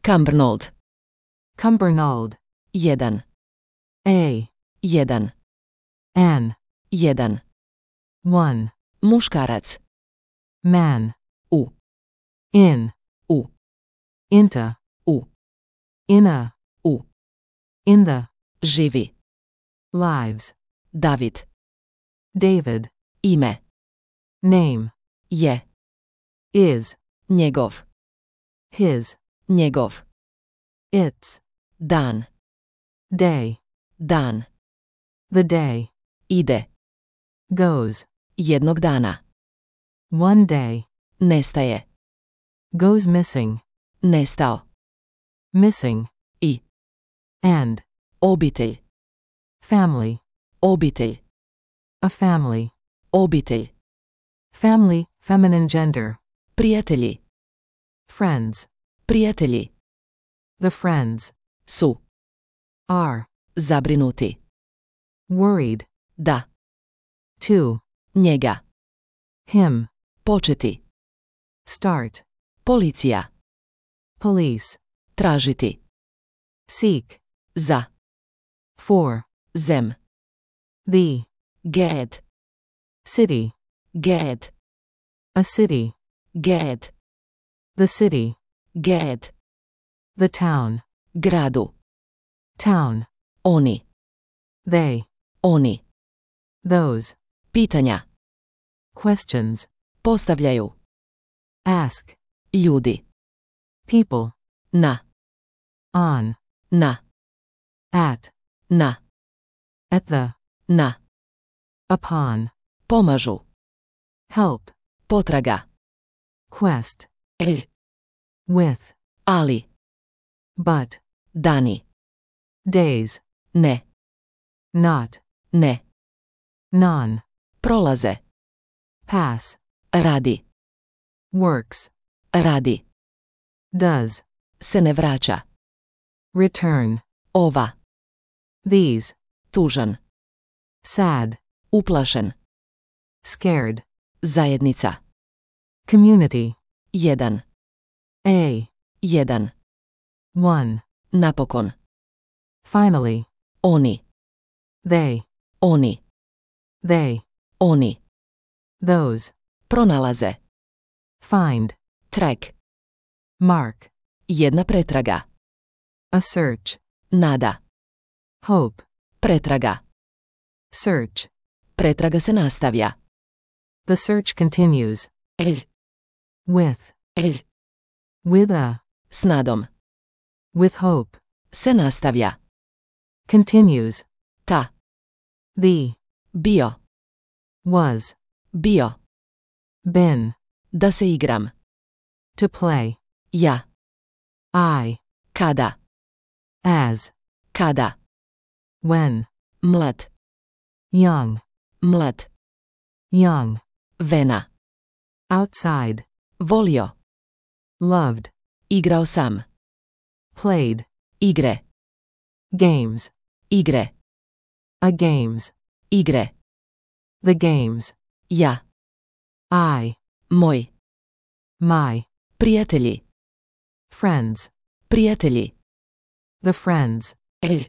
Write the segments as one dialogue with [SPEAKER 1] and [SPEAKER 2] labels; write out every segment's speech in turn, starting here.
[SPEAKER 1] Cumbernauld.
[SPEAKER 2] Cumbernauld.
[SPEAKER 1] 1.
[SPEAKER 2] A.
[SPEAKER 1] 1.
[SPEAKER 2] An.
[SPEAKER 1] 1.
[SPEAKER 2] 1.
[SPEAKER 1] Muškarac.
[SPEAKER 2] Man.
[SPEAKER 1] U.
[SPEAKER 2] In.
[SPEAKER 1] U.
[SPEAKER 2] Into.
[SPEAKER 1] U.
[SPEAKER 2] In a.
[SPEAKER 1] U.
[SPEAKER 2] In the.
[SPEAKER 1] Živi.
[SPEAKER 2] Lives.
[SPEAKER 1] David.
[SPEAKER 2] David.
[SPEAKER 1] Ime.
[SPEAKER 2] Name.
[SPEAKER 1] Je.
[SPEAKER 2] Is.
[SPEAKER 1] Njegov.
[SPEAKER 2] His.
[SPEAKER 1] Njegov.
[SPEAKER 2] Its.
[SPEAKER 1] Dan.
[SPEAKER 2] Day.
[SPEAKER 1] Dan.
[SPEAKER 2] The day.
[SPEAKER 1] Ide.
[SPEAKER 2] Goes.
[SPEAKER 1] Jednog dana.
[SPEAKER 2] One day.
[SPEAKER 1] Nestaje.
[SPEAKER 2] Goes missing.
[SPEAKER 1] Nestao.
[SPEAKER 2] Missing.
[SPEAKER 1] I.
[SPEAKER 2] And.
[SPEAKER 1] Obitelj.
[SPEAKER 2] Family.
[SPEAKER 1] Obitelj.
[SPEAKER 2] A family.
[SPEAKER 1] Obitelj.
[SPEAKER 2] Family, feminine gender.
[SPEAKER 1] Prijatelji.
[SPEAKER 2] Friends.
[SPEAKER 1] Prijatelji.
[SPEAKER 2] The friends.
[SPEAKER 1] Su.
[SPEAKER 2] Are.
[SPEAKER 1] Zabrinuti.
[SPEAKER 2] Worried.
[SPEAKER 1] Da.
[SPEAKER 2] To.
[SPEAKER 1] Njega.
[SPEAKER 2] Him.
[SPEAKER 1] Početi.
[SPEAKER 2] Start.
[SPEAKER 1] Policija.
[SPEAKER 2] Police.
[SPEAKER 1] Tražiti.
[SPEAKER 2] Seek.
[SPEAKER 1] Za.
[SPEAKER 2] For.
[SPEAKER 1] Zem.
[SPEAKER 2] The.
[SPEAKER 1] Ged.
[SPEAKER 2] City.
[SPEAKER 1] Ged.
[SPEAKER 2] A city.
[SPEAKER 1] Ged.
[SPEAKER 2] The city.
[SPEAKER 1] Ged.
[SPEAKER 2] The town.
[SPEAKER 1] Gradu.
[SPEAKER 2] Town.
[SPEAKER 1] Oni.
[SPEAKER 2] They.
[SPEAKER 1] Oni.
[SPEAKER 2] Those.
[SPEAKER 1] Pitanja.
[SPEAKER 2] Questions.
[SPEAKER 1] Postavljaju.
[SPEAKER 2] Ask.
[SPEAKER 1] Ljudi.
[SPEAKER 2] People.
[SPEAKER 1] Na.
[SPEAKER 2] On.
[SPEAKER 1] Na.
[SPEAKER 2] At.
[SPEAKER 1] Na.
[SPEAKER 2] At the.
[SPEAKER 1] Na.
[SPEAKER 2] Upon.
[SPEAKER 1] Pomažu.
[SPEAKER 2] Help.
[SPEAKER 1] Potraga.
[SPEAKER 2] Quest.
[SPEAKER 1] El.
[SPEAKER 2] With.
[SPEAKER 1] Ali.
[SPEAKER 2] But.
[SPEAKER 1] Dani.
[SPEAKER 2] Days.
[SPEAKER 1] Ne.
[SPEAKER 2] Not.
[SPEAKER 1] Ne.
[SPEAKER 2] Non.
[SPEAKER 1] Prolaze.
[SPEAKER 2] Pass.
[SPEAKER 1] Radi.
[SPEAKER 2] Works.
[SPEAKER 1] Radi.
[SPEAKER 2] Does.
[SPEAKER 1] Se ne vraća.
[SPEAKER 2] Return.
[SPEAKER 1] Ova.
[SPEAKER 2] These.
[SPEAKER 1] Tužan.
[SPEAKER 2] Sad.
[SPEAKER 1] Uplašen.
[SPEAKER 2] Scared.
[SPEAKER 1] Zajednica.
[SPEAKER 2] Community.
[SPEAKER 1] 1.
[SPEAKER 2] A.
[SPEAKER 1] 1.
[SPEAKER 2] One.
[SPEAKER 1] Napokon.
[SPEAKER 2] Finally.
[SPEAKER 1] Oni.
[SPEAKER 2] They.
[SPEAKER 1] Oni.
[SPEAKER 2] They.
[SPEAKER 1] Oni.
[SPEAKER 2] Those.
[SPEAKER 1] Pronalaze.
[SPEAKER 2] Find.
[SPEAKER 1] Track.
[SPEAKER 2] Mark.
[SPEAKER 1] Jedna pretraga.
[SPEAKER 2] A search.
[SPEAKER 1] Nada.
[SPEAKER 2] Hope.
[SPEAKER 1] Pretraga.
[SPEAKER 2] Search.
[SPEAKER 1] Pretraga se nastavlja.
[SPEAKER 2] The search continues.
[SPEAKER 1] El.
[SPEAKER 2] With.
[SPEAKER 1] El.
[SPEAKER 2] With a.
[SPEAKER 1] S nadom.
[SPEAKER 2] With hope.
[SPEAKER 1] Se nastavlja.
[SPEAKER 2] Continues.
[SPEAKER 1] Ta.
[SPEAKER 2] The.
[SPEAKER 1] Bio.
[SPEAKER 2] Was.
[SPEAKER 1] Bio.
[SPEAKER 2] Been.
[SPEAKER 1] Da se igram.
[SPEAKER 2] To play.
[SPEAKER 1] Ja.
[SPEAKER 2] I.
[SPEAKER 1] Kada.
[SPEAKER 2] As.
[SPEAKER 1] Kada.
[SPEAKER 2] When.
[SPEAKER 1] Mlad.
[SPEAKER 2] Young.
[SPEAKER 1] Mlad.
[SPEAKER 2] Young.
[SPEAKER 1] Vena.
[SPEAKER 2] Outside.
[SPEAKER 1] Volio.
[SPEAKER 2] Loved.
[SPEAKER 1] Igrao sam.
[SPEAKER 2] Played.
[SPEAKER 1] Igre.
[SPEAKER 2] Games.
[SPEAKER 1] Igre.
[SPEAKER 2] A games.
[SPEAKER 1] Igre.
[SPEAKER 2] The games.
[SPEAKER 1] Ja.
[SPEAKER 2] I.
[SPEAKER 1] Moj.
[SPEAKER 2] My.
[SPEAKER 1] Prijatelji.
[SPEAKER 2] Friends.
[SPEAKER 1] Prijatelji.
[SPEAKER 2] The friends.
[SPEAKER 1] El.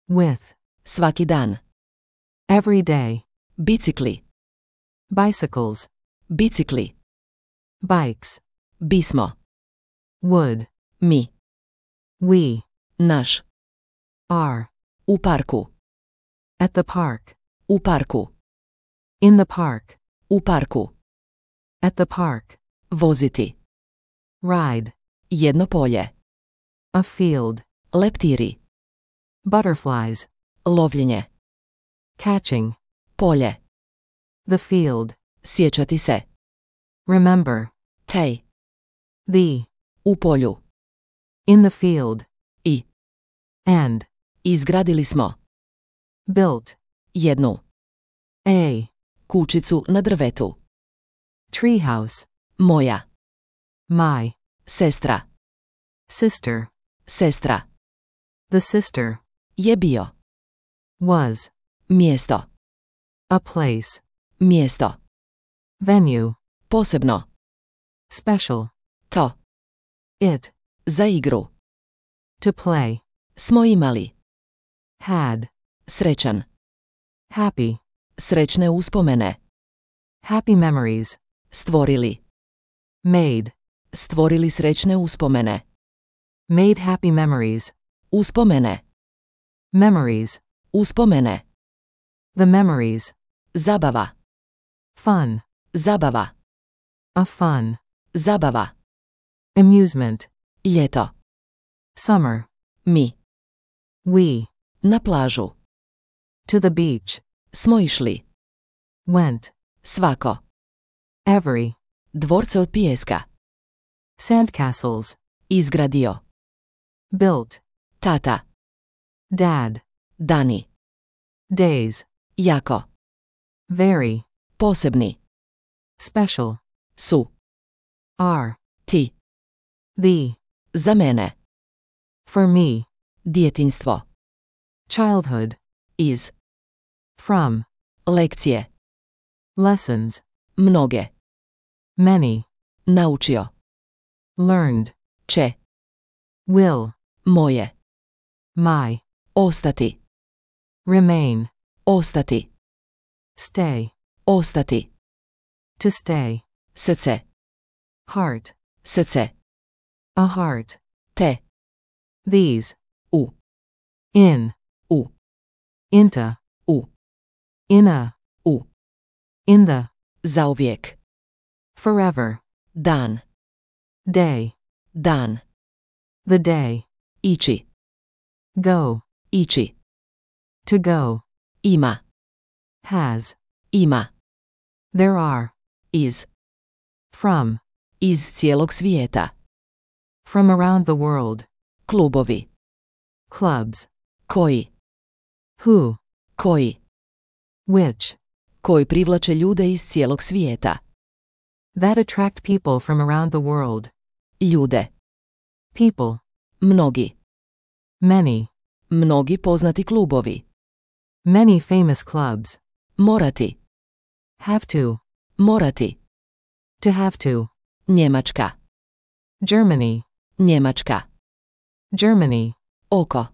[SPEAKER 2] With.
[SPEAKER 1] Svaki dan.
[SPEAKER 2] Every day.
[SPEAKER 1] Bicikli.
[SPEAKER 2] Bicycles.
[SPEAKER 1] Bicikli.
[SPEAKER 2] Bikes.
[SPEAKER 1] Bismo.
[SPEAKER 2] Would.
[SPEAKER 1] Mi.
[SPEAKER 2] We.
[SPEAKER 1] Naš.
[SPEAKER 2] Are.
[SPEAKER 1] U parku.
[SPEAKER 2] At the park.
[SPEAKER 1] U parku.
[SPEAKER 2] In the park.
[SPEAKER 1] U parku.
[SPEAKER 2] At the park.
[SPEAKER 1] Voziti.
[SPEAKER 2] Ride.
[SPEAKER 1] Jedno polje.
[SPEAKER 2] A field.
[SPEAKER 1] Leptiri.
[SPEAKER 2] Butterflies.
[SPEAKER 1] Lovljenje.
[SPEAKER 2] Catching.
[SPEAKER 1] Polje.
[SPEAKER 2] The field.
[SPEAKER 1] Sjećati se.
[SPEAKER 2] Remember.
[SPEAKER 1] Tej.
[SPEAKER 2] The.
[SPEAKER 1] U polju.
[SPEAKER 2] In the field.
[SPEAKER 1] I.
[SPEAKER 2] And.
[SPEAKER 1] Izgradili smo.
[SPEAKER 2] Built.
[SPEAKER 1] Jednu.
[SPEAKER 2] A.
[SPEAKER 1] Kućicu na drvetu.
[SPEAKER 2] Treehouse.
[SPEAKER 1] Moja.
[SPEAKER 2] My.
[SPEAKER 1] Sestra.
[SPEAKER 2] Sister.
[SPEAKER 1] Sestra.
[SPEAKER 2] The sister.
[SPEAKER 1] Je bio.
[SPEAKER 2] Was.
[SPEAKER 1] Mjesto.
[SPEAKER 2] A place.
[SPEAKER 1] Mjesto.
[SPEAKER 2] Venue.
[SPEAKER 1] Posebno.
[SPEAKER 2] Special.
[SPEAKER 1] To.
[SPEAKER 2] It.
[SPEAKER 1] Za igru.
[SPEAKER 2] To play.
[SPEAKER 1] Smo imali.
[SPEAKER 2] Had.
[SPEAKER 1] Srećan.
[SPEAKER 2] Happy.
[SPEAKER 1] Srećne uspomene.
[SPEAKER 2] Happy memories.
[SPEAKER 1] Stvorili.
[SPEAKER 2] Made.
[SPEAKER 1] Stvorili srećne uspomene.
[SPEAKER 2] Made happy memories.
[SPEAKER 1] Uspomene.
[SPEAKER 2] Memories.
[SPEAKER 1] Uspomene.
[SPEAKER 2] The memories.
[SPEAKER 1] Zabava.
[SPEAKER 2] Fun.
[SPEAKER 1] Zabava.
[SPEAKER 2] A fun.
[SPEAKER 1] Zabava.
[SPEAKER 2] Amusement.
[SPEAKER 1] Ljeto.
[SPEAKER 2] Summer.
[SPEAKER 1] Mi.
[SPEAKER 2] We.
[SPEAKER 1] Na plažu.
[SPEAKER 2] To the beach.
[SPEAKER 1] Smo išli.
[SPEAKER 2] Went.
[SPEAKER 1] Svako.
[SPEAKER 2] Every.
[SPEAKER 1] Dvorce od pijeska.
[SPEAKER 2] Sandcastles.
[SPEAKER 1] Izgradio.
[SPEAKER 2] Built.
[SPEAKER 1] Tata.
[SPEAKER 2] Dad.
[SPEAKER 1] Dani.
[SPEAKER 2] Days.
[SPEAKER 1] Jako.
[SPEAKER 2] Very.
[SPEAKER 1] Posebni.
[SPEAKER 2] Special.
[SPEAKER 1] Su.
[SPEAKER 2] Are.
[SPEAKER 1] Ti.
[SPEAKER 2] The.
[SPEAKER 1] Za mene.
[SPEAKER 2] For me.
[SPEAKER 1] Djetinjstvo.
[SPEAKER 2] Childhood.
[SPEAKER 1] Iz.
[SPEAKER 2] From.
[SPEAKER 1] Lekcije.
[SPEAKER 2] Lessons.
[SPEAKER 1] Mnoge.
[SPEAKER 2] Many.
[SPEAKER 1] Naučio.
[SPEAKER 2] Learned.
[SPEAKER 1] Će.
[SPEAKER 2] Will.
[SPEAKER 1] Moje.
[SPEAKER 2] My.
[SPEAKER 1] Ostati.
[SPEAKER 2] Remain.
[SPEAKER 1] Ostati.
[SPEAKER 2] Stay.
[SPEAKER 1] Ostati.
[SPEAKER 2] To stay.
[SPEAKER 1] Srce.
[SPEAKER 2] Heart.
[SPEAKER 1] Srce.
[SPEAKER 2] A heart.
[SPEAKER 1] Te.
[SPEAKER 2] These.
[SPEAKER 1] U.
[SPEAKER 2] In.
[SPEAKER 1] U.
[SPEAKER 2] Into.
[SPEAKER 1] U.
[SPEAKER 2] In a.
[SPEAKER 1] U.
[SPEAKER 2] In the.
[SPEAKER 1] Zauvijek.
[SPEAKER 2] Forever.
[SPEAKER 1] Dan.
[SPEAKER 2] Day.
[SPEAKER 1] Dan.
[SPEAKER 2] The day.
[SPEAKER 1] Ići.
[SPEAKER 2] Go.
[SPEAKER 1] Ići.
[SPEAKER 2] To go.
[SPEAKER 1] Ima.
[SPEAKER 2] Has.
[SPEAKER 1] Ima.
[SPEAKER 2] There are.
[SPEAKER 1] Iz.
[SPEAKER 2] From.
[SPEAKER 1] Iz cijelog svijeta.
[SPEAKER 2] From around the world.
[SPEAKER 1] Klubovi.
[SPEAKER 2] Clubs.
[SPEAKER 1] Koji.
[SPEAKER 2] Who.
[SPEAKER 1] Koji.
[SPEAKER 2] Which.
[SPEAKER 1] Koji privlače ljude iz cijelog svijeta.
[SPEAKER 2] That attract people from around the world.
[SPEAKER 1] Ljude.
[SPEAKER 2] People.
[SPEAKER 1] Mnogi.
[SPEAKER 2] Many.
[SPEAKER 1] Mnogi poznati klubovi.
[SPEAKER 2] Many famous clubs.
[SPEAKER 1] Morati.
[SPEAKER 2] Have to.
[SPEAKER 1] Morati.
[SPEAKER 2] To have to.
[SPEAKER 1] Njemačka.
[SPEAKER 2] Germany.
[SPEAKER 1] Njemačka.
[SPEAKER 2] Germany.
[SPEAKER 1] Oko.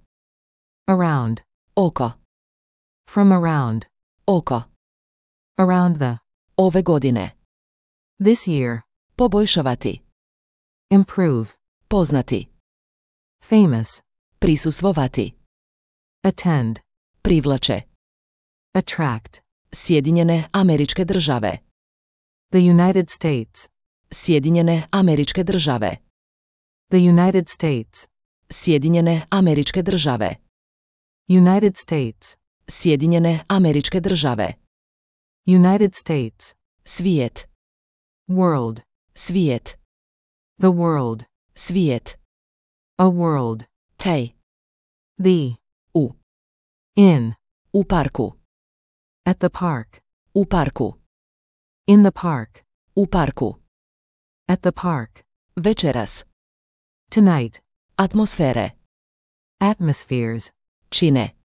[SPEAKER 2] Around.
[SPEAKER 1] Oko.
[SPEAKER 2] From around.
[SPEAKER 1] Oko.
[SPEAKER 2] Around the.
[SPEAKER 1] Ove godine.
[SPEAKER 2] This year.
[SPEAKER 1] Poboljšavati.
[SPEAKER 2] Improve.
[SPEAKER 1] Poznati.
[SPEAKER 2] Famous.
[SPEAKER 1] Prisustvovati.
[SPEAKER 2] Attend.
[SPEAKER 1] Privlače.
[SPEAKER 2] Attract.
[SPEAKER 1] Sjedinjene Američke Države.
[SPEAKER 2] The United States.
[SPEAKER 1] Sjedinjene Američke Države.
[SPEAKER 2] The United States.
[SPEAKER 1] Sjedinjene Američke Države.
[SPEAKER 2] United States.
[SPEAKER 1] Sjedinjene Američke Države.
[SPEAKER 2] United States.
[SPEAKER 1] Svijet.
[SPEAKER 2] World.
[SPEAKER 1] Svijet.
[SPEAKER 2] The world.
[SPEAKER 1] Svijet.
[SPEAKER 2] A world.
[SPEAKER 1] Tej.
[SPEAKER 2] The.
[SPEAKER 1] U.
[SPEAKER 2] In.
[SPEAKER 1] U parku.
[SPEAKER 2] At the park.
[SPEAKER 1] U parku.
[SPEAKER 2] In the park.
[SPEAKER 1] U parku.
[SPEAKER 2] At the park.
[SPEAKER 1] Večeras.
[SPEAKER 2] Tonight.
[SPEAKER 1] Atmosfere.
[SPEAKER 2] Atmospheres.
[SPEAKER 1] Čine.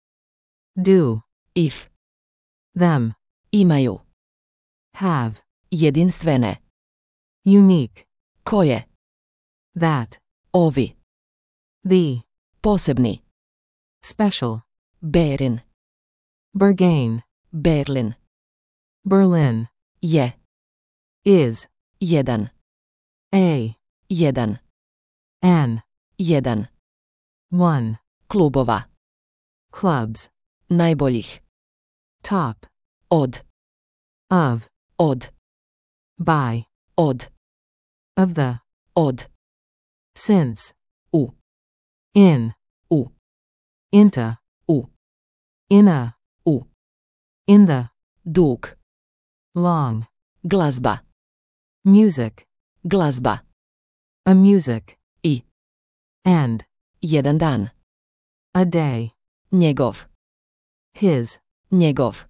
[SPEAKER 2] Do.
[SPEAKER 1] If.
[SPEAKER 2] Them.
[SPEAKER 1] Imaju.
[SPEAKER 2] Have.
[SPEAKER 1] Jedinstvene.
[SPEAKER 2] Unique.
[SPEAKER 1] Koje.
[SPEAKER 2] That.
[SPEAKER 1] Ovi.
[SPEAKER 2] The.
[SPEAKER 1] Posebni.
[SPEAKER 2] Special.
[SPEAKER 1] Berin.
[SPEAKER 2] Berghain.
[SPEAKER 1] Berlin.
[SPEAKER 2] Berlin.
[SPEAKER 1] Je.
[SPEAKER 2] Is.
[SPEAKER 1] Jedan.
[SPEAKER 2] A.
[SPEAKER 1] Jedan.
[SPEAKER 2] An.
[SPEAKER 1] Jedan.
[SPEAKER 2] One.
[SPEAKER 1] Klubova.
[SPEAKER 2] Clubs.
[SPEAKER 1] Najboljih.
[SPEAKER 2] Top.
[SPEAKER 1] Od.
[SPEAKER 2] Of.
[SPEAKER 1] Od.
[SPEAKER 2] By.
[SPEAKER 1] Od.
[SPEAKER 2] Of the.
[SPEAKER 1] Od.
[SPEAKER 2] Since.
[SPEAKER 1] U.
[SPEAKER 2] In.
[SPEAKER 1] U.
[SPEAKER 2] Into.
[SPEAKER 1] U.
[SPEAKER 2] In a.
[SPEAKER 1] U.
[SPEAKER 2] In the.
[SPEAKER 1] Dug.
[SPEAKER 2] Long.
[SPEAKER 1] Glazba.
[SPEAKER 2] Music.
[SPEAKER 1] Glazba.
[SPEAKER 2] A music.
[SPEAKER 1] I.
[SPEAKER 2] And.
[SPEAKER 1] Jedan dan.
[SPEAKER 2] A day.
[SPEAKER 1] Njegov.
[SPEAKER 2] His.
[SPEAKER 1] Njegov.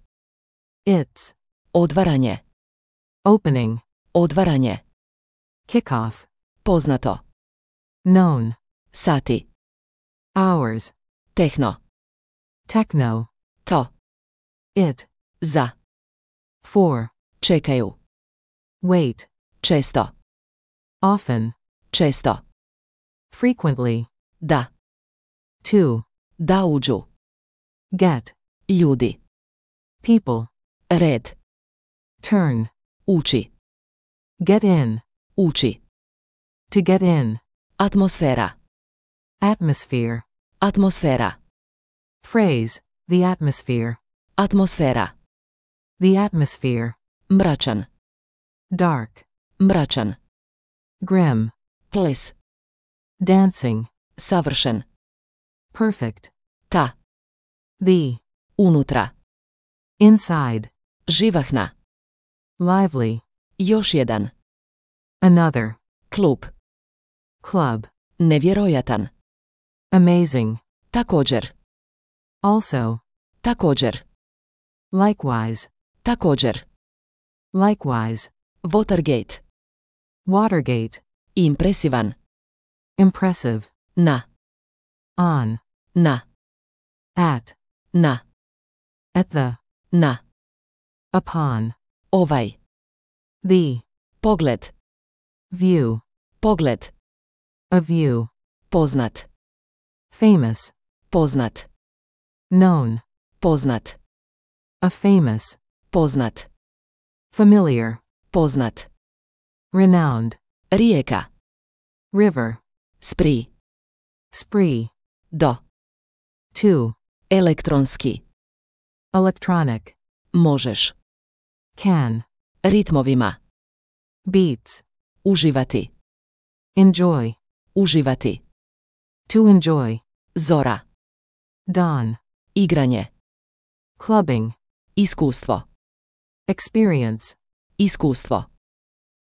[SPEAKER 2] Its.
[SPEAKER 1] Odvaranje.
[SPEAKER 2] Opening.
[SPEAKER 1] Odvaranje.
[SPEAKER 2] Kickoff.
[SPEAKER 1] Poznato.
[SPEAKER 2] Known.
[SPEAKER 1] Sati.
[SPEAKER 2] Hours.
[SPEAKER 1] Tehno.
[SPEAKER 2] Techno.
[SPEAKER 1] To.
[SPEAKER 2] It.
[SPEAKER 1] Za.
[SPEAKER 2] For.
[SPEAKER 1] Čekaju.
[SPEAKER 2] Wait.
[SPEAKER 1] Često.
[SPEAKER 2] Often.
[SPEAKER 1] Često.
[SPEAKER 2] Frequently.
[SPEAKER 1] Da.
[SPEAKER 2] To.
[SPEAKER 1] Da uđu.
[SPEAKER 2] Get.
[SPEAKER 1] Ljudi.
[SPEAKER 2] People.
[SPEAKER 1] Red.
[SPEAKER 2] Turn.
[SPEAKER 1] Uči.
[SPEAKER 2] Get in.
[SPEAKER 1] Uči.
[SPEAKER 2] To get in.
[SPEAKER 1] Atmosfera.
[SPEAKER 2] Atmosphere.
[SPEAKER 1] Atmosfera.
[SPEAKER 2] Phrase. The atmosphere.
[SPEAKER 1] Atmosfera.
[SPEAKER 2] The atmosphere.
[SPEAKER 1] Mračan.
[SPEAKER 2] Dark.
[SPEAKER 1] Mračan.
[SPEAKER 2] Grim.
[SPEAKER 1] Ples.
[SPEAKER 2] Dancing.
[SPEAKER 1] Savršen.
[SPEAKER 2] Perfect.
[SPEAKER 1] Ta.
[SPEAKER 2] The.
[SPEAKER 1] Unutra.
[SPEAKER 2] Inside.
[SPEAKER 1] Živahna.
[SPEAKER 2] Lively.
[SPEAKER 1] Još jedan.
[SPEAKER 2] Another.
[SPEAKER 1] Klub.
[SPEAKER 2] Club.
[SPEAKER 1] Nevjerojatan.
[SPEAKER 2] Amazing.
[SPEAKER 1] Također.
[SPEAKER 2] Also.
[SPEAKER 1] Također.
[SPEAKER 2] Likewise.
[SPEAKER 1] Također.
[SPEAKER 2] Likewise.
[SPEAKER 1] Watergate.
[SPEAKER 2] Watergate.
[SPEAKER 1] Impresivan.
[SPEAKER 2] Impressive.
[SPEAKER 1] Na.
[SPEAKER 2] On.
[SPEAKER 1] Na.
[SPEAKER 2] At.
[SPEAKER 1] Na.
[SPEAKER 2] At the.
[SPEAKER 1] Na.
[SPEAKER 2] Upon.
[SPEAKER 1] Ovaj.
[SPEAKER 2] The.
[SPEAKER 1] Pogled.
[SPEAKER 2] View.
[SPEAKER 1] Pogled.
[SPEAKER 2] A view.
[SPEAKER 1] Poznat.
[SPEAKER 2] Famous.
[SPEAKER 1] Poznat.
[SPEAKER 2] Known.
[SPEAKER 1] Poznat.
[SPEAKER 2] A famous.
[SPEAKER 1] Poznat.
[SPEAKER 2] Familiar.
[SPEAKER 1] Poznat.
[SPEAKER 2] Renowned.
[SPEAKER 1] Rijeka.
[SPEAKER 2] River.
[SPEAKER 1] Spree.
[SPEAKER 2] Spree.
[SPEAKER 1] Do.
[SPEAKER 2] To.
[SPEAKER 1] Elektronski.
[SPEAKER 2] Electronic.
[SPEAKER 1] Možeš.
[SPEAKER 2] Can.
[SPEAKER 1] Ritmovima.
[SPEAKER 2] Beats.
[SPEAKER 1] Uživati.
[SPEAKER 2] Enjoy.
[SPEAKER 1] Uživati.
[SPEAKER 2] To enjoy.
[SPEAKER 1] Zora.
[SPEAKER 2] Dawn.
[SPEAKER 1] Igranje.
[SPEAKER 2] Clubbing.
[SPEAKER 1] Iskustvo.
[SPEAKER 2] Experience.
[SPEAKER 1] Iskustvo.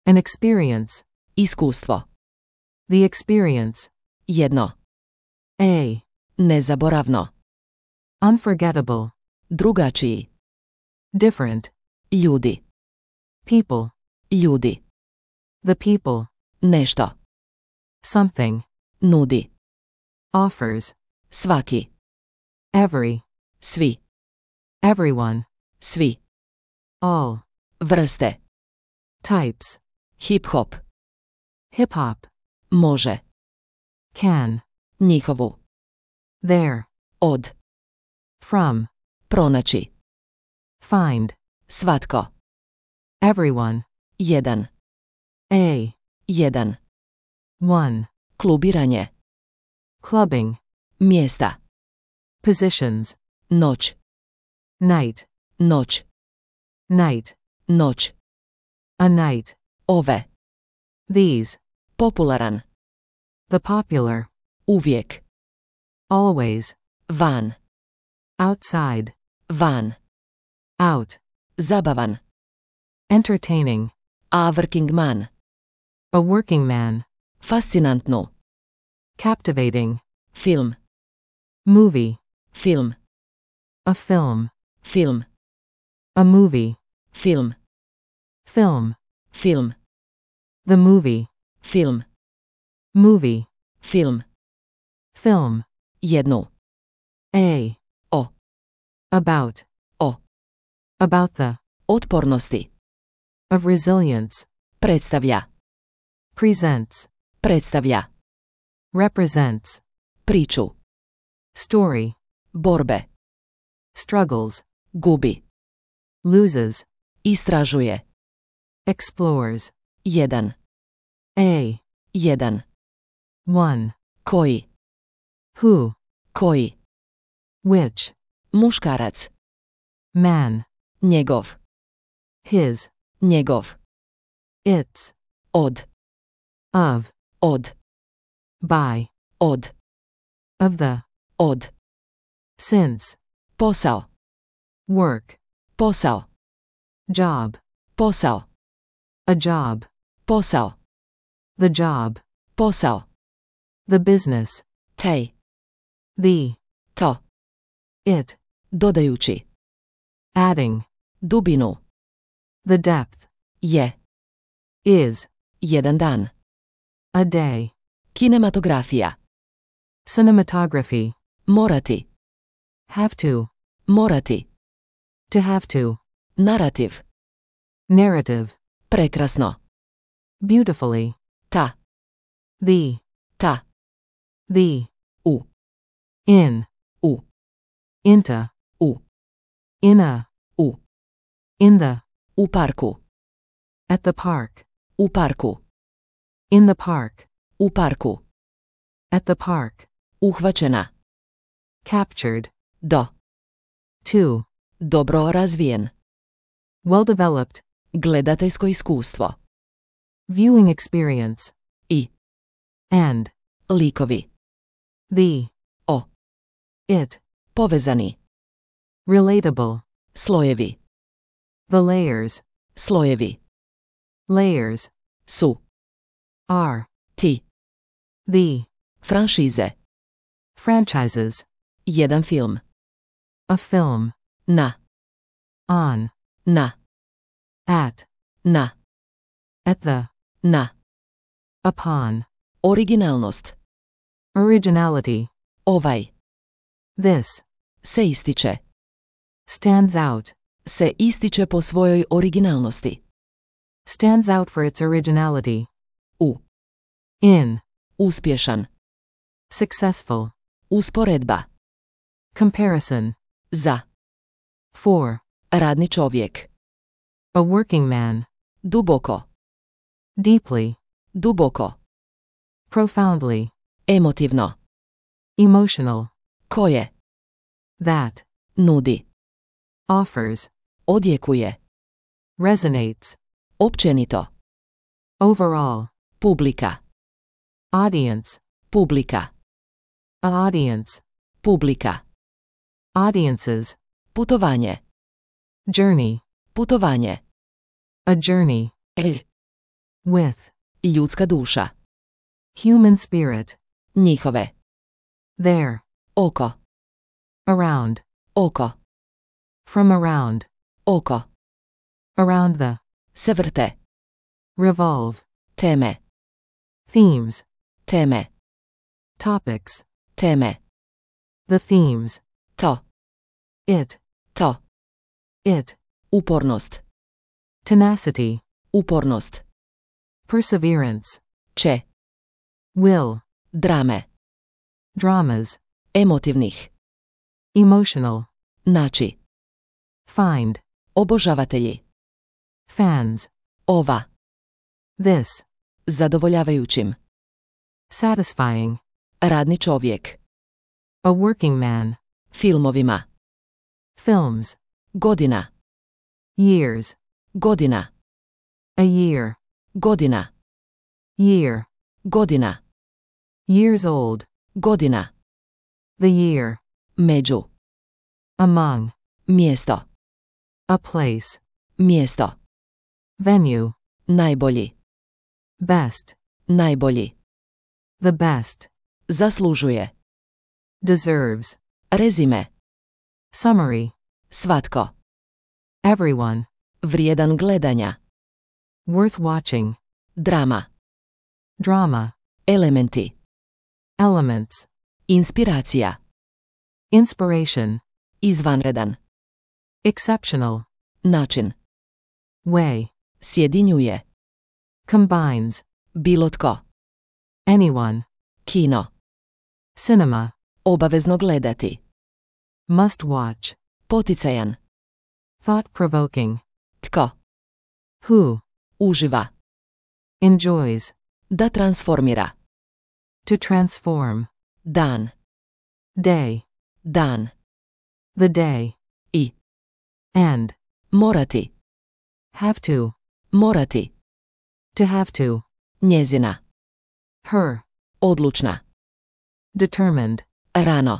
[SPEAKER 2] An experience.
[SPEAKER 1] Iskustvo.
[SPEAKER 2] The experience.
[SPEAKER 1] Jedno.
[SPEAKER 2] A.
[SPEAKER 1] Nezaboravno.
[SPEAKER 2] Unforgettable.
[SPEAKER 1] Drugačiji.
[SPEAKER 2] Different.
[SPEAKER 1] Ljudi.
[SPEAKER 2] People.
[SPEAKER 1] Ljudi.
[SPEAKER 2] The people.
[SPEAKER 1] Nešto.
[SPEAKER 2] Something.
[SPEAKER 1] Nudi.
[SPEAKER 2] Offers.
[SPEAKER 1] Svaki.
[SPEAKER 2] Every.
[SPEAKER 1] Svi.
[SPEAKER 2] Everyone.
[SPEAKER 1] Svi.
[SPEAKER 2] All.
[SPEAKER 1] Vrste.
[SPEAKER 2] Types.
[SPEAKER 1] Hip-hop.
[SPEAKER 2] Hip hop.
[SPEAKER 1] Može.
[SPEAKER 2] Can.
[SPEAKER 1] Njihovu.
[SPEAKER 2] There.
[SPEAKER 1] Od.
[SPEAKER 2] From.
[SPEAKER 1] Pronaći.
[SPEAKER 2] Find.
[SPEAKER 1] Svatko.
[SPEAKER 2] Everyone.
[SPEAKER 1] Jedan.
[SPEAKER 2] A.
[SPEAKER 1] Jedan.
[SPEAKER 2] One.
[SPEAKER 1] Klubiranje.
[SPEAKER 2] Clubbing.
[SPEAKER 1] Mjesta.
[SPEAKER 2] Positions.
[SPEAKER 1] Noć.
[SPEAKER 2] Night.
[SPEAKER 1] Noć.
[SPEAKER 2] Night.
[SPEAKER 1] Noć.
[SPEAKER 2] A night.
[SPEAKER 1] Ove.
[SPEAKER 2] These.
[SPEAKER 1] Popularan.
[SPEAKER 2] The popular.
[SPEAKER 1] Uvijek.
[SPEAKER 2] Always.
[SPEAKER 1] Van.
[SPEAKER 2] Outside.
[SPEAKER 1] Van.
[SPEAKER 2] Out.
[SPEAKER 1] Zabavan.
[SPEAKER 2] Entertaining.
[SPEAKER 1] A working man.
[SPEAKER 2] A working man.
[SPEAKER 1] Fascinantnu.
[SPEAKER 2] Captivating.
[SPEAKER 1] Film.
[SPEAKER 2] Movie.
[SPEAKER 1] Film.
[SPEAKER 2] A film.
[SPEAKER 1] Film.
[SPEAKER 2] A movie.
[SPEAKER 1] Film.
[SPEAKER 2] Film.
[SPEAKER 1] Film.
[SPEAKER 2] The movie.
[SPEAKER 1] Film.
[SPEAKER 2] Movie.
[SPEAKER 1] Film.
[SPEAKER 2] Film.
[SPEAKER 1] Jednu.
[SPEAKER 2] A.
[SPEAKER 1] O.
[SPEAKER 2] About.
[SPEAKER 1] O.
[SPEAKER 2] About the.
[SPEAKER 1] Otpornosti.
[SPEAKER 2] Of resilience.
[SPEAKER 1] Predstavlja.
[SPEAKER 2] Presents.
[SPEAKER 1] Predstavlja.
[SPEAKER 2] Represents.
[SPEAKER 1] Priču.
[SPEAKER 2] Story.
[SPEAKER 1] Borbe.
[SPEAKER 2] Struggles.
[SPEAKER 1] Gubi.
[SPEAKER 2] Loses.
[SPEAKER 1] Istražuje.
[SPEAKER 2] Explores.
[SPEAKER 1] Jedan.
[SPEAKER 2] A.
[SPEAKER 1] Jedan.
[SPEAKER 2] One.
[SPEAKER 1] Koji.
[SPEAKER 2] Who.
[SPEAKER 1] Koji.
[SPEAKER 2] Which.
[SPEAKER 1] Muškarac.
[SPEAKER 2] Man.
[SPEAKER 1] Njegov.
[SPEAKER 2] His.
[SPEAKER 1] Njegov.
[SPEAKER 2] Its.
[SPEAKER 1] Od.
[SPEAKER 2] Of.
[SPEAKER 1] Od.
[SPEAKER 2] By.
[SPEAKER 1] Od.
[SPEAKER 2] Of the.
[SPEAKER 1] Od.
[SPEAKER 2] Since.
[SPEAKER 1] Posao.
[SPEAKER 2] Work.
[SPEAKER 1] Posao.
[SPEAKER 2] Job.
[SPEAKER 1] Posao.
[SPEAKER 2] A job.
[SPEAKER 1] Posao.
[SPEAKER 2] The job.
[SPEAKER 1] Posao.
[SPEAKER 2] The business.
[SPEAKER 1] Tej.
[SPEAKER 2] The.
[SPEAKER 1] To.
[SPEAKER 2] It.
[SPEAKER 1] Dodajući.
[SPEAKER 2] Adding.
[SPEAKER 1] Dubinu.
[SPEAKER 2] The depth.
[SPEAKER 1] Je.
[SPEAKER 2] Is.
[SPEAKER 1] Jedan dan.
[SPEAKER 2] A day.
[SPEAKER 1] Kinematografija.
[SPEAKER 2] Cinematography.
[SPEAKER 1] Morati.
[SPEAKER 2] Have to.
[SPEAKER 1] Morati.
[SPEAKER 2] To have to.
[SPEAKER 1] Narativ.
[SPEAKER 2] Narrative.
[SPEAKER 1] Prekrasno.
[SPEAKER 2] Beautifully.
[SPEAKER 1] Ta.
[SPEAKER 2] The.
[SPEAKER 1] Ta.
[SPEAKER 2] The.
[SPEAKER 1] U.
[SPEAKER 2] In.
[SPEAKER 1] U.
[SPEAKER 2] Into.
[SPEAKER 1] U.
[SPEAKER 2] In a.
[SPEAKER 1] U.
[SPEAKER 2] In the.
[SPEAKER 1] U parku.
[SPEAKER 2] At the park.
[SPEAKER 1] U parku.
[SPEAKER 2] In the park.
[SPEAKER 1] U parku.
[SPEAKER 2] At the park.
[SPEAKER 1] Uhvaćena.
[SPEAKER 2] Captured.
[SPEAKER 1] Do.
[SPEAKER 2] To.
[SPEAKER 1] Dobro razvijen.
[SPEAKER 2] Well developed.
[SPEAKER 1] Gledateljsko iskustvo.
[SPEAKER 2] Viewing experience.
[SPEAKER 1] I.
[SPEAKER 2] And.
[SPEAKER 1] Likovi.
[SPEAKER 2] The.
[SPEAKER 1] O.
[SPEAKER 2] It.
[SPEAKER 1] Povezani.
[SPEAKER 2] Relatable.
[SPEAKER 1] Slojevi.
[SPEAKER 2] The layers.
[SPEAKER 1] Slojevi.
[SPEAKER 2] Layers.
[SPEAKER 1] Su.
[SPEAKER 2] Are.
[SPEAKER 1] Ti.
[SPEAKER 2] The.
[SPEAKER 1] Franšize.
[SPEAKER 2] Franchises.
[SPEAKER 1] Jedan film.
[SPEAKER 2] A film.
[SPEAKER 1] Na.
[SPEAKER 2] On.
[SPEAKER 1] Na.
[SPEAKER 2] At.
[SPEAKER 1] Na.
[SPEAKER 2] At the.
[SPEAKER 1] Na.
[SPEAKER 2] Upon.
[SPEAKER 1] Originalnost.
[SPEAKER 2] Originality.
[SPEAKER 1] Ovaj.
[SPEAKER 2] This.
[SPEAKER 1] Se ističe.
[SPEAKER 2] Stands out.
[SPEAKER 1] Se ističe po svojoj originalnosti.
[SPEAKER 2] Stands out for its originality.
[SPEAKER 1] U.
[SPEAKER 2] In.
[SPEAKER 1] Uspješan.
[SPEAKER 2] Successful.
[SPEAKER 1] Usporedba.
[SPEAKER 2] Comparison.
[SPEAKER 1] Za.
[SPEAKER 2] For.
[SPEAKER 1] Radni čovjek.
[SPEAKER 2] A working man.
[SPEAKER 1] Duboko.
[SPEAKER 2] Deeply.
[SPEAKER 1] Duboko.
[SPEAKER 2] Profoundly.
[SPEAKER 1] Emotivno.
[SPEAKER 2] Emotional.
[SPEAKER 1] Koje.
[SPEAKER 2] That.
[SPEAKER 1] Nudi.
[SPEAKER 2] Offers.
[SPEAKER 1] Odjekuje.
[SPEAKER 2] Resonates.
[SPEAKER 1] Općenito.
[SPEAKER 2] Overall.
[SPEAKER 1] Publika.
[SPEAKER 2] Audience.
[SPEAKER 1] Publika.
[SPEAKER 2] A audience.
[SPEAKER 1] Publika.
[SPEAKER 2] Audiences.
[SPEAKER 1] Putovanje.
[SPEAKER 2] Journey.
[SPEAKER 1] Putovanje.
[SPEAKER 2] A journey. With.
[SPEAKER 1] Ljudska duša.
[SPEAKER 2] Human spirit.
[SPEAKER 1] Njihove.
[SPEAKER 2] There.
[SPEAKER 1] Oko.
[SPEAKER 2] Around.
[SPEAKER 1] Oko.
[SPEAKER 2] From around.
[SPEAKER 1] Oko.
[SPEAKER 2] Around the.
[SPEAKER 1] Se vrte.
[SPEAKER 2] Revolve.
[SPEAKER 1] Teme.
[SPEAKER 2] Themes.
[SPEAKER 1] Teme.
[SPEAKER 2] Topics.
[SPEAKER 1] Teme.
[SPEAKER 2] The themes.
[SPEAKER 1] To.
[SPEAKER 2] It.
[SPEAKER 1] To.
[SPEAKER 2] It.
[SPEAKER 1] Upornost.
[SPEAKER 2] Tenacity.
[SPEAKER 1] Upornost.
[SPEAKER 2] Perseverance.
[SPEAKER 1] Će.
[SPEAKER 2] Will.
[SPEAKER 1] Drame.
[SPEAKER 2] Dramas.
[SPEAKER 1] Emotivnih.
[SPEAKER 2] Emotional.
[SPEAKER 1] Naći.
[SPEAKER 2] Find.
[SPEAKER 1] Obožavatelji.
[SPEAKER 2] Fans.
[SPEAKER 1] Ova.
[SPEAKER 2] This.
[SPEAKER 1] Zadovoljavajućim.
[SPEAKER 2] Satisfying.
[SPEAKER 1] Radni čovjek.
[SPEAKER 2] A working man.
[SPEAKER 1] Filmovima.
[SPEAKER 2] Films.
[SPEAKER 1] Godina.
[SPEAKER 2] Years.
[SPEAKER 1] Godina.
[SPEAKER 2] A year.
[SPEAKER 1] Godina.
[SPEAKER 2] Year.
[SPEAKER 1] Godina.
[SPEAKER 2] Years old.
[SPEAKER 1] Godina.
[SPEAKER 2] The year.
[SPEAKER 1] Među.
[SPEAKER 2] Among.
[SPEAKER 1] Mjesto.
[SPEAKER 2] A place.
[SPEAKER 1] Mjesto.
[SPEAKER 2] Venue.
[SPEAKER 1] Najbolji.
[SPEAKER 2] Best.
[SPEAKER 1] Najbolji.
[SPEAKER 2] The best.
[SPEAKER 1] Zaslužuje.
[SPEAKER 2] Deserves.
[SPEAKER 1] Rezime.
[SPEAKER 2] Summary.
[SPEAKER 1] Svatko.
[SPEAKER 2] Everyone.
[SPEAKER 1] Vrijedan gledanja.
[SPEAKER 2] Worth watching.
[SPEAKER 1] Drama.
[SPEAKER 2] Drama.
[SPEAKER 1] Elementi.
[SPEAKER 2] Elements.
[SPEAKER 1] Inspiracija.
[SPEAKER 2] Inspiration.
[SPEAKER 1] Izvanredan.
[SPEAKER 2] Exceptional.
[SPEAKER 1] Način.
[SPEAKER 2] Way.
[SPEAKER 1] Sjedinjuje.
[SPEAKER 2] Combines.
[SPEAKER 1] Bilo tko.
[SPEAKER 2] Anyone.
[SPEAKER 1] Kino.
[SPEAKER 2] Cinema.
[SPEAKER 1] Obavezno gledati.
[SPEAKER 2] Must watch.
[SPEAKER 1] Poticajan.
[SPEAKER 2] Thought-provoking.
[SPEAKER 1] Tko.
[SPEAKER 2] Who.
[SPEAKER 1] Uživa.
[SPEAKER 2] Enjoys.
[SPEAKER 1] Da transformira.
[SPEAKER 2] To transform.
[SPEAKER 1] Dan.
[SPEAKER 2] Day.
[SPEAKER 1] Dan.
[SPEAKER 2] The day.
[SPEAKER 1] I.
[SPEAKER 2] And.
[SPEAKER 1] Morati.
[SPEAKER 2] Have to.
[SPEAKER 1] Morati.
[SPEAKER 2] To have to.
[SPEAKER 1] Njezina.
[SPEAKER 2] Her.
[SPEAKER 1] Odlučna.
[SPEAKER 2] Determined.
[SPEAKER 1] Rano.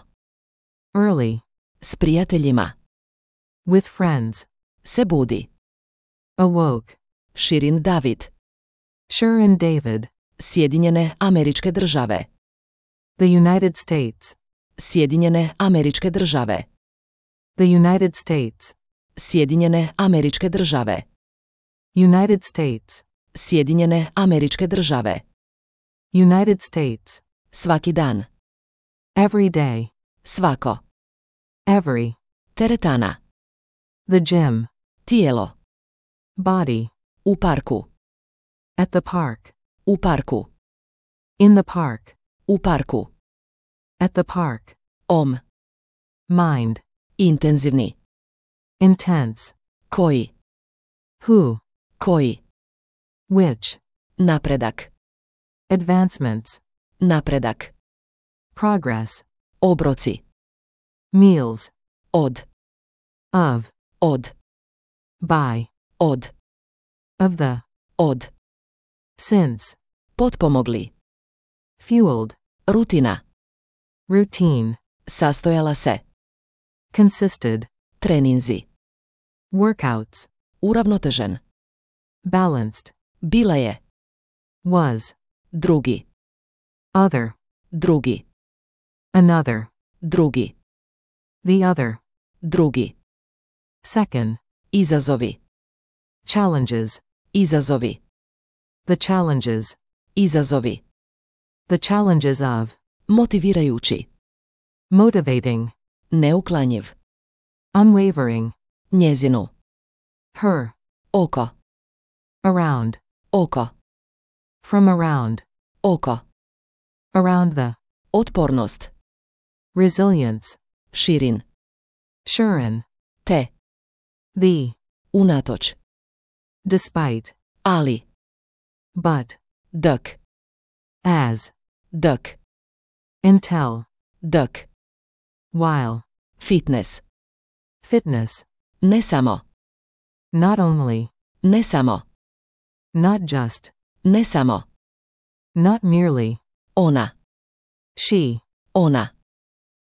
[SPEAKER 2] Early.
[SPEAKER 1] S prijateljima.
[SPEAKER 2] With friends.
[SPEAKER 1] Se budi.
[SPEAKER 2] Awoke.
[SPEAKER 1] Širin David.
[SPEAKER 2] Sure and David.
[SPEAKER 1] Sjedinjene Američke Države.
[SPEAKER 2] The United States.
[SPEAKER 1] Sjedinjene Američke Države.
[SPEAKER 2] The United States.
[SPEAKER 1] Sjedinjene Američke Države.
[SPEAKER 2] United States.
[SPEAKER 1] Sjedinjene Američke Države.
[SPEAKER 2] United States.
[SPEAKER 1] Svaki dan.
[SPEAKER 2] Every day.
[SPEAKER 1] Svako.
[SPEAKER 2] Every.
[SPEAKER 1] Teretana.
[SPEAKER 2] The gym.
[SPEAKER 1] Tijelo.
[SPEAKER 2] Body.
[SPEAKER 1] U parku.
[SPEAKER 2] At the park.
[SPEAKER 1] U parku.
[SPEAKER 2] In the park.
[SPEAKER 1] U parku.
[SPEAKER 2] At the park. mind,
[SPEAKER 1] Intenzivni.
[SPEAKER 2] intense,
[SPEAKER 1] Koji.
[SPEAKER 2] who,
[SPEAKER 1] Koji.
[SPEAKER 2] which,
[SPEAKER 1] Napredak.
[SPEAKER 2] advancements,
[SPEAKER 1] Napredak.
[SPEAKER 2] progress,
[SPEAKER 1] Obroci.
[SPEAKER 2] meals,
[SPEAKER 1] Od.
[SPEAKER 2] of,
[SPEAKER 1] Od.
[SPEAKER 2] by,
[SPEAKER 1] Od.
[SPEAKER 2] of the,
[SPEAKER 1] Od.
[SPEAKER 2] since,
[SPEAKER 1] Potpomogli.
[SPEAKER 2] fueled,
[SPEAKER 1] Rutina.
[SPEAKER 2] routine,
[SPEAKER 1] Sastojala se.
[SPEAKER 2] consisted,
[SPEAKER 1] Treninzi.
[SPEAKER 2] workouts,
[SPEAKER 1] Uravnotežen.
[SPEAKER 2] balanced,
[SPEAKER 1] Bila je.
[SPEAKER 2] was,
[SPEAKER 1] Drugi.
[SPEAKER 2] other,
[SPEAKER 1] Drugi.
[SPEAKER 2] another,
[SPEAKER 1] Drugi.
[SPEAKER 2] the other,
[SPEAKER 1] Drugi.
[SPEAKER 2] second,
[SPEAKER 1] Izazovi.
[SPEAKER 2] challenges,
[SPEAKER 1] Izazovi.
[SPEAKER 2] the challenges,
[SPEAKER 1] Izazovi.
[SPEAKER 2] the challenges of,
[SPEAKER 1] Motivirajući.
[SPEAKER 2] motivating,
[SPEAKER 1] Neuklanjiv.
[SPEAKER 2] unwavering,
[SPEAKER 1] Njezinu.
[SPEAKER 2] her,
[SPEAKER 1] Oko.
[SPEAKER 2] around,
[SPEAKER 1] Oko.
[SPEAKER 2] from around,
[SPEAKER 1] Oko.
[SPEAKER 2] around the,
[SPEAKER 1] Otpornost.
[SPEAKER 2] resilience,
[SPEAKER 1] Širin.
[SPEAKER 2] Shurin,
[SPEAKER 1] Te.
[SPEAKER 2] the,
[SPEAKER 1] Unatoč.
[SPEAKER 2] despite,
[SPEAKER 1] Ali.
[SPEAKER 2] but,
[SPEAKER 1] Dk.
[SPEAKER 2] as,
[SPEAKER 1] Dk.
[SPEAKER 2] until,
[SPEAKER 1] Dk.
[SPEAKER 2] while,
[SPEAKER 1] Fitness.
[SPEAKER 2] fitness,
[SPEAKER 1] Ne samo.
[SPEAKER 2] not only,
[SPEAKER 1] Ne samo.
[SPEAKER 2] not just,
[SPEAKER 1] Ne samo.
[SPEAKER 2] not merely,
[SPEAKER 1] Ona.
[SPEAKER 2] she,
[SPEAKER 1] Ona.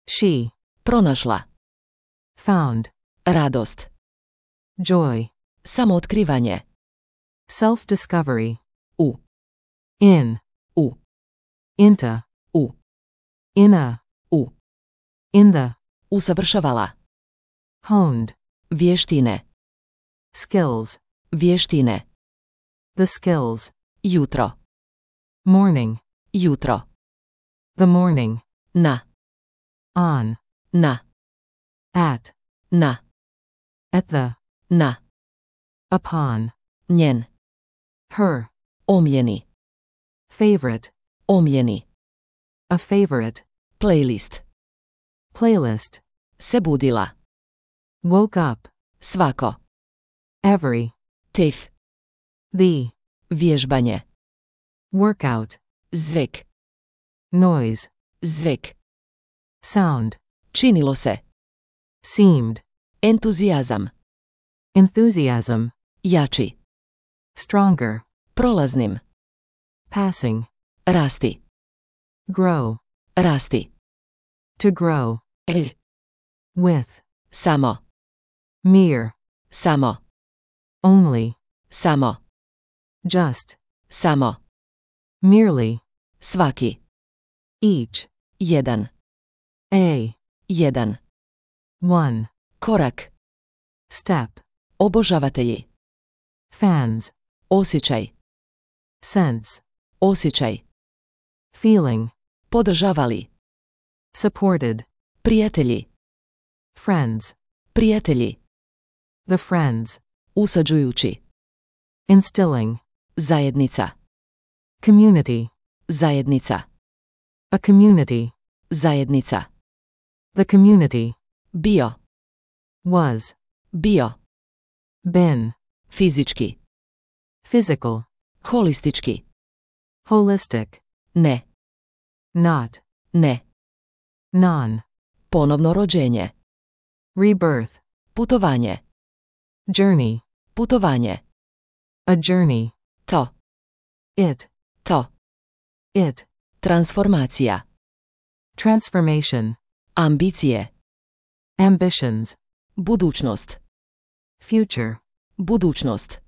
[SPEAKER 2] she,
[SPEAKER 1] Pronašla.
[SPEAKER 2] found,
[SPEAKER 1] Radost.
[SPEAKER 2] joy,
[SPEAKER 1] Samootkrivanje.
[SPEAKER 2] self-discovery,
[SPEAKER 1] U.
[SPEAKER 2] in,
[SPEAKER 1] U.
[SPEAKER 2] into,
[SPEAKER 1] U.
[SPEAKER 2] in a,
[SPEAKER 1] U.
[SPEAKER 2] in the,
[SPEAKER 1] Usavršavala.
[SPEAKER 2] honed,
[SPEAKER 1] Vještine.
[SPEAKER 2] skills,
[SPEAKER 1] Vještine.
[SPEAKER 2] the skills,
[SPEAKER 1] Jutro.
[SPEAKER 2] morning,
[SPEAKER 1] Jutro.
[SPEAKER 2] the morning,
[SPEAKER 1] Na.
[SPEAKER 2] on,
[SPEAKER 1] Na.
[SPEAKER 2] at,
[SPEAKER 1] Na.
[SPEAKER 2] at the,
[SPEAKER 1] Na.
[SPEAKER 2] upon,
[SPEAKER 1] Njen.
[SPEAKER 2] her,
[SPEAKER 1] Omljeni.
[SPEAKER 2] favorite,
[SPEAKER 1] Omljeni.
[SPEAKER 2] a favorite,
[SPEAKER 1] Playlist.
[SPEAKER 2] playlist,
[SPEAKER 1] Se budila.
[SPEAKER 2] woke up,
[SPEAKER 1] Svako.
[SPEAKER 2] every,
[SPEAKER 1] Tif.
[SPEAKER 2] the,
[SPEAKER 1] Vježbanje.
[SPEAKER 2] workout,
[SPEAKER 1] Zvek.
[SPEAKER 2] noise,
[SPEAKER 1] Zvek.
[SPEAKER 2] sound,
[SPEAKER 1] Činilo se.
[SPEAKER 2] seemed,
[SPEAKER 1] Entuzijazam.
[SPEAKER 2] enthusiasm,
[SPEAKER 1] Jači.
[SPEAKER 2] stronger,
[SPEAKER 1] Prolaznim.
[SPEAKER 2] passing,
[SPEAKER 1] Rasti.
[SPEAKER 2] grow,
[SPEAKER 1] Rasti.
[SPEAKER 2] to grow,
[SPEAKER 1] L.
[SPEAKER 2] with,
[SPEAKER 1] Samo.
[SPEAKER 2] mere,
[SPEAKER 1] Samo.
[SPEAKER 2] only,
[SPEAKER 1] Samo.
[SPEAKER 2] just,
[SPEAKER 1] Samo.
[SPEAKER 2] merely,
[SPEAKER 1] Svaki.
[SPEAKER 2] each,
[SPEAKER 1] Jedan.
[SPEAKER 2] a,
[SPEAKER 1] Jedan.
[SPEAKER 2] one,
[SPEAKER 1] Korak.
[SPEAKER 2] step,
[SPEAKER 1] Obožavatelji.
[SPEAKER 2] fans,
[SPEAKER 1] Osjećaj.
[SPEAKER 2] sense,
[SPEAKER 1] Osjećaj.
[SPEAKER 2] feeling,
[SPEAKER 1] Podržavali.
[SPEAKER 2] supported,
[SPEAKER 1] Prijatelji.
[SPEAKER 2] friends,
[SPEAKER 1] Prijatelji.
[SPEAKER 2] the friends,
[SPEAKER 1] Usađujući.
[SPEAKER 2] instilling,
[SPEAKER 1] Zajednica.
[SPEAKER 2] community,
[SPEAKER 1] Zajednica.
[SPEAKER 2] a community,
[SPEAKER 1] Zajednica.
[SPEAKER 2] the community,
[SPEAKER 1] Bio.
[SPEAKER 2] was,
[SPEAKER 1] Bio.
[SPEAKER 2] been,
[SPEAKER 1] Fizički.
[SPEAKER 2] physical,
[SPEAKER 1] Holistički.
[SPEAKER 2] holistic,
[SPEAKER 1] Ne.
[SPEAKER 2] not,
[SPEAKER 1] Ne.
[SPEAKER 2] non,
[SPEAKER 1] Ponovno rođenje.
[SPEAKER 2] rebirth,
[SPEAKER 1] Putovanje.
[SPEAKER 2] journey,
[SPEAKER 1] Putovanje.
[SPEAKER 2] a journey,
[SPEAKER 1] To.
[SPEAKER 2] it,
[SPEAKER 1] To.
[SPEAKER 2] it,
[SPEAKER 1] Transformacija.
[SPEAKER 2] transformation,
[SPEAKER 1] Ambicije.
[SPEAKER 2] ambitions,
[SPEAKER 1] Budućnost.
[SPEAKER 2] future,
[SPEAKER 1] Budućnost.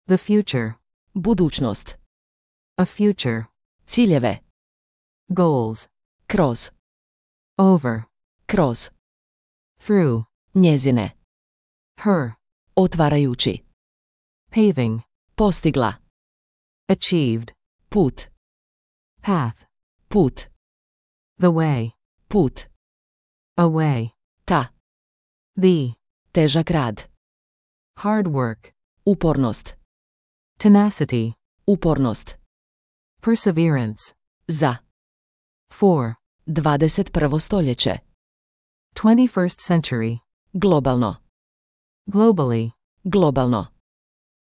[SPEAKER 2] the future,
[SPEAKER 1] Budućnost.
[SPEAKER 2] a future,
[SPEAKER 1] Ciljeve.
[SPEAKER 2] goals,
[SPEAKER 1] Kroz.
[SPEAKER 2] over,
[SPEAKER 1] Kroz.
[SPEAKER 2] through,
[SPEAKER 1] Njezine.
[SPEAKER 2] her,
[SPEAKER 1] Otvarajući.
[SPEAKER 2] paving,
[SPEAKER 1] Postigla.
[SPEAKER 2] achieved,
[SPEAKER 1] Put.
[SPEAKER 2] path,
[SPEAKER 1] Put.
[SPEAKER 2] the way,
[SPEAKER 1] Put.
[SPEAKER 2] away,
[SPEAKER 1] Ta.
[SPEAKER 2] the,
[SPEAKER 1] Težak rad.
[SPEAKER 2] hard work,
[SPEAKER 1] Upornost.
[SPEAKER 2] tenacity,
[SPEAKER 1] Upornost.
[SPEAKER 2] perseverance,
[SPEAKER 1] Za.
[SPEAKER 2] for,
[SPEAKER 1] 21. stoljeće.
[SPEAKER 2] 21st century.
[SPEAKER 1] Globalno.
[SPEAKER 2] Globally.
[SPEAKER 1] Globalno.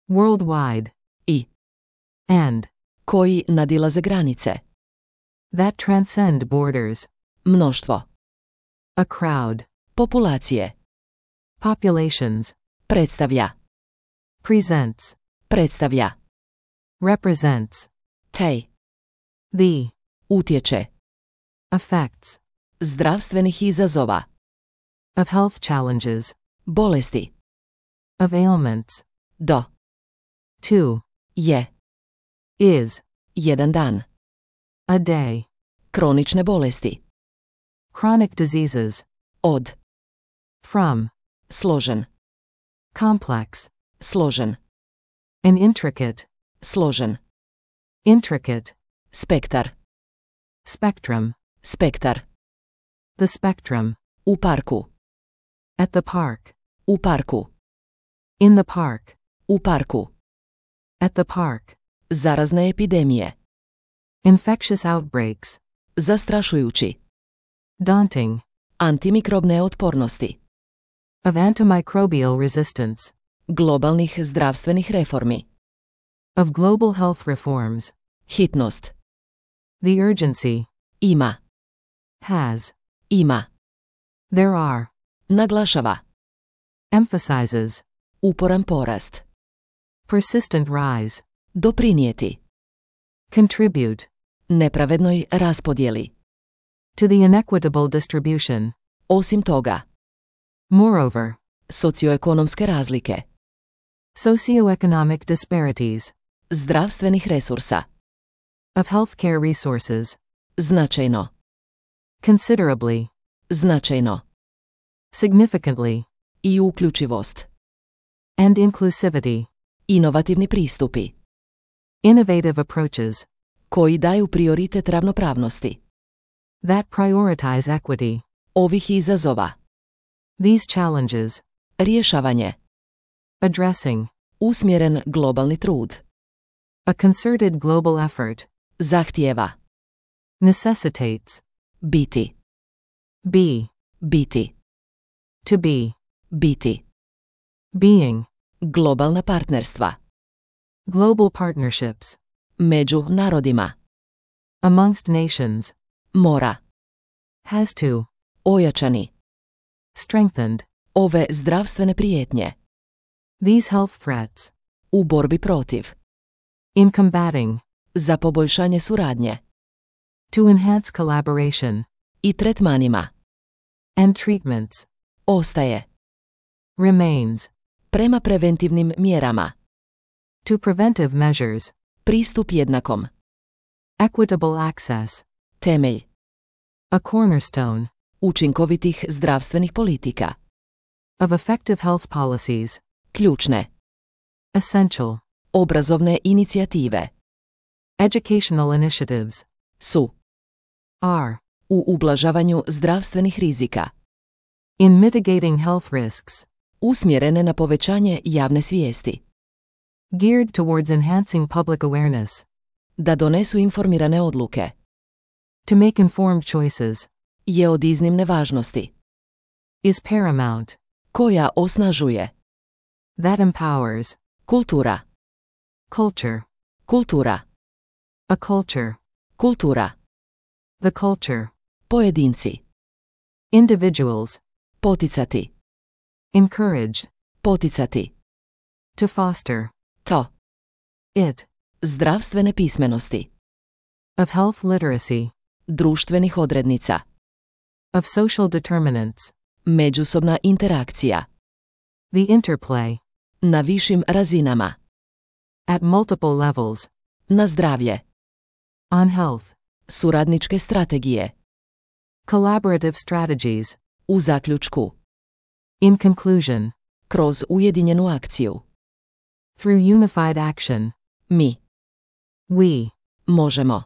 [SPEAKER 2] Worldwide.
[SPEAKER 1] I.
[SPEAKER 2] And.
[SPEAKER 1] Koji nadilaze granice.
[SPEAKER 2] That transcend borders.
[SPEAKER 1] Mnoštvo.
[SPEAKER 2] A crowd.
[SPEAKER 1] Populacije.
[SPEAKER 2] Populations.
[SPEAKER 1] Predstavlja.
[SPEAKER 2] Presents.
[SPEAKER 1] Predstavlja.
[SPEAKER 2] Represents.
[SPEAKER 1] Tej.
[SPEAKER 2] The.
[SPEAKER 1] Utječe.
[SPEAKER 2] Effects.
[SPEAKER 1] Zdravstvenih izazova.
[SPEAKER 2] Of health challenges.
[SPEAKER 1] Bolesti.
[SPEAKER 2] Of ailments.
[SPEAKER 1] Do.
[SPEAKER 2] To.
[SPEAKER 1] Je.
[SPEAKER 2] Is.
[SPEAKER 1] Jedan dan.
[SPEAKER 2] A day.
[SPEAKER 1] Kronične bolesti.
[SPEAKER 2] Chronic diseases.
[SPEAKER 1] Od.
[SPEAKER 2] From.
[SPEAKER 1] Složen.
[SPEAKER 2] Complex.
[SPEAKER 1] Složen.
[SPEAKER 2] An intricate.
[SPEAKER 1] Složen.
[SPEAKER 2] Intricate.
[SPEAKER 1] Spektar.
[SPEAKER 2] Spectrum.
[SPEAKER 1] Spektar.
[SPEAKER 2] The spectrum.
[SPEAKER 1] U parku.
[SPEAKER 2] At the park.
[SPEAKER 1] U parku.
[SPEAKER 2] In the park.
[SPEAKER 1] U parku.
[SPEAKER 2] At the park.
[SPEAKER 1] Zarazne epidemije.
[SPEAKER 2] Infectious outbreaks.
[SPEAKER 1] Zastrašujući.
[SPEAKER 2] Daunting.
[SPEAKER 1] Antimikrobne otpornosti.
[SPEAKER 2] Of antimicrobial resistance.
[SPEAKER 1] Globalnih zdravstvenih reformi.
[SPEAKER 2] Of global health reforms.
[SPEAKER 1] Hitnost.
[SPEAKER 2] The urgency.
[SPEAKER 1] Ima.
[SPEAKER 2] Has.
[SPEAKER 1] Ima.
[SPEAKER 2] There are.
[SPEAKER 1] Naglašava.
[SPEAKER 2] Emphasizes.
[SPEAKER 1] Uporan porast.
[SPEAKER 2] Persistent rise.
[SPEAKER 1] Doprinijeti.
[SPEAKER 2] Contribute.
[SPEAKER 1] Nepravednoj raspodjeli.
[SPEAKER 2] To the inequitable distribution.
[SPEAKER 1] Osim toga.
[SPEAKER 2] Moreover.
[SPEAKER 1] Socioekonomske razlike.
[SPEAKER 2] Socioeconomic disparities.
[SPEAKER 1] Zdravstvenih resursa.
[SPEAKER 2] Of healthcare resources.
[SPEAKER 1] Značajno.
[SPEAKER 2] Considerably.
[SPEAKER 1] Značajno.
[SPEAKER 2] Significantly.
[SPEAKER 1] I uključivost.
[SPEAKER 2] And inclusivity.
[SPEAKER 1] Inovativni pristupi.
[SPEAKER 2] Innovative approaches.
[SPEAKER 1] Koji daju prioritet ravnopravnosti.
[SPEAKER 2] That prioritize equity.
[SPEAKER 1] Ovih izazova.
[SPEAKER 2] These challenges.
[SPEAKER 1] Rješavanje.
[SPEAKER 2] Addressing.
[SPEAKER 1] Usmjeren globalni trud.
[SPEAKER 2] A concerted global effort.
[SPEAKER 1] Zahtijeva.
[SPEAKER 2] Necessitates.
[SPEAKER 1] Biti.
[SPEAKER 2] Be.
[SPEAKER 1] Biti.
[SPEAKER 2] To be.
[SPEAKER 1] Biti.
[SPEAKER 2] Being.
[SPEAKER 1] Globalna partnerstva.
[SPEAKER 2] Global partnerships.
[SPEAKER 1] Među narodima.
[SPEAKER 2] Amongst nations.
[SPEAKER 1] Mora.
[SPEAKER 2] Has to.
[SPEAKER 1] Ojačani.
[SPEAKER 2] Strengthened.
[SPEAKER 1] Ove zdravstvene prijetnje.
[SPEAKER 2] These health threats.
[SPEAKER 1] U borbi protiv.
[SPEAKER 2] In combating.
[SPEAKER 1] Za poboljšanje suradnje.
[SPEAKER 2] To enhance collaboration.
[SPEAKER 1] I tretmanima.
[SPEAKER 2] And treatments.
[SPEAKER 1] Ostaje.
[SPEAKER 2] Remains.
[SPEAKER 1] Prema preventivnim mjerama.
[SPEAKER 2] To preventive measures.
[SPEAKER 1] Pristup jednakom.
[SPEAKER 2] Equitable access.
[SPEAKER 1] Temelj.
[SPEAKER 2] A cornerstone.
[SPEAKER 1] Učinkovitih zdravstvenih politika.
[SPEAKER 2] Of effective health policies.
[SPEAKER 1] Ključne.
[SPEAKER 2] Essential.
[SPEAKER 1] Obrazovne inicijative.
[SPEAKER 2] Educational initiatives.
[SPEAKER 1] Su.
[SPEAKER 2] Are.
[SPEAKER 1] U ublažavanju zdravstvenih rizika.
[SPEAKER 2] In mitigating health risks.
[SPEAKER 1] Usmjerene na povećanje javne svijesti.
[SPEAKER 2] Geared towards enhancing public awareness.
[SPEAKER 1] Da donesu informirane odluke.
[SPEAKER 2] To make informed choices.
[SPEAKER 1] Je od iznimne važnosti.
[SPEAKER 2] Is paramount.
[SPEAKER 1] Koja osnažuje.
[SPEAKER 2] That empowers.
[SPEAKER 1] Kultura.
[SPEAKER 2] Culture.
[SPEAKER 1] Kultura.
[SPEAKER 2] A culture.
[SPEAKER 1] Kultura.
[SPEAKER 2] The culture.
[SPEAKER 1] Pojedinci.
[SPEAKER 2] Individuals.
[SPEAKER 1] Poticati.
[SPEAKER 2] Encourage.
[SPEAKER 1] Poticati.
[SPEAKER 2] To foster.
[SPEAKER 1] To.
[SPEAKER 2] It.
[SPEAKER 1] Zdravstvene pismenosti.
[SPEAKER 2] Of health literacy.
[SPEAKER 1] Društvenih odrednica.
[SPEAKER 2] Of social determinants.
[SPEAKER 1] Međusobna interakcija.
[SPEAKER 2] The interplay.
[SPEAKER 1] Na višim razinama.
[SPEAKER 2] At multiple levels.
[SPEAKER 1] Na zdravlje.
[SPEAKER 2] On health.
[SPEAKER 1] Suradničke strategije.
[SPEAKER 2] Collaborative strategies.
[SPEAKER 1] U zaključku.
[SPEAKER 2] In conclusion.
[SPEAKER 1] Kroz ujedinjenu akciju.
[SPEAKER 2] Through unified action.
[SPEAKER 1] Mi.
[SPEAKER 2] We.
[SPEAKER 1] Možemo.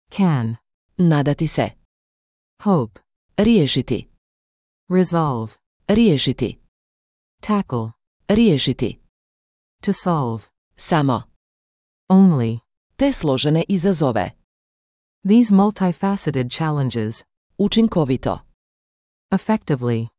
[SPEAKER 2] Can.
[SPEAKER 1] Nadati se.
[SPEAKER 2] Hope.
[SPEAKER 1] Riješiti.
[SPEAKER 2] Resolve.
[SPEAKER 1] Riješiti.
[SPEAKER 2] Tackle.
[SPEAKER 1] Riješiti.
[SPEAKER 2] To solve.
[SPEAKER 1] Samo.
[SPEAKER 2] Only.
[SPEAKER 1] Te složene izazove.
[SPEAKER 2] These multifaceted challenges.
[SPEAKER 1] Učinkovito.
[SPEAKER 2] Effectively.